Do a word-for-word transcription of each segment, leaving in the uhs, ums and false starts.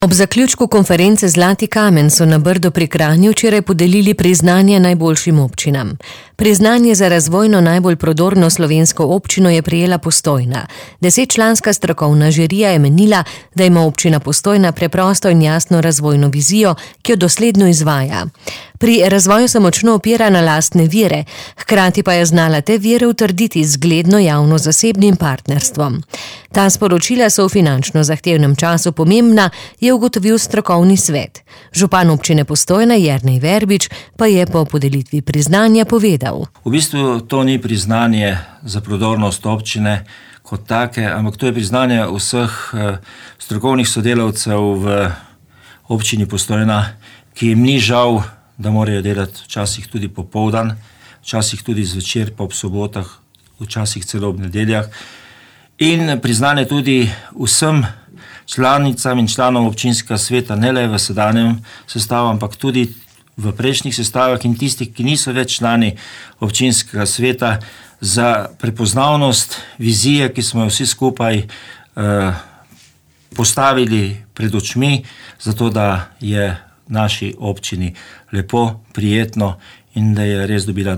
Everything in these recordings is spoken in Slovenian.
Ob zaključku konference Zlati kamen so na Brdu pri Kranju včeraj podelili priznanje najboljšim občinam. Priznanje za razvojno najbolj prodorno slovensko občino je prejela Postojna. Desetčlanska strokovna žirija je menila, da ima občina Postojna preprosto in jasno razvojno vizijo, ki jo dosledno izvaja. Pri razvoju se močno opira na lastne vire, hkrati pa je znala te vire utrditi z zgledno javno-zasebnim partnerstvom. Ta sporočila so v finančno zahtevnem času pomembna, je ugotovil strokovni svet. Župan občine Postojna Jernej Verbič pa je po podelitvi priznanja povedal. V bistvu to ni priznanje za prodornost občine kot take, ampak to je priznanje vseh strokovnih sodelavcev v občini Postojna, ki jim ni žal, da morajo delati včasih tudi popoldan, včasih tudi zvečer, pa ob sobotah, včasih celo ob nedeljah. In priznanje tudi vsem članicam in članom občinskega sveta, ne le v sedanjem sestavu, ampak tudi v prejšnjih sestavah in tistih, ki niso več člani občinskega sveta, za prepoznavnost vizije, ki smo jo vsi skupaj eh, postavili pred očmi, zato da je naši občini lepo, prijetno in da je res dobila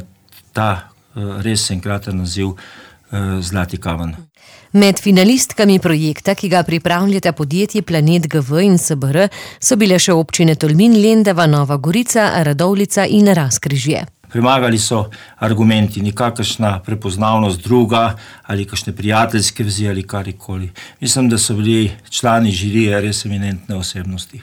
ta eh, res enkraten naziv eh, Zlati kamen. Med finalistkami projekta, ki ga pripravljata podjetje Planet G V in S B R, so bile še občine Tolmin, Lendava, Nova Gorica, Radovljica in Razkrižje. Premagali so argumenti, nikakršna prepoznavnost druga ali kakšne prijateljske vezi ali karkoli. Mislim, da so bili člani žirije res eminentne osebnosti.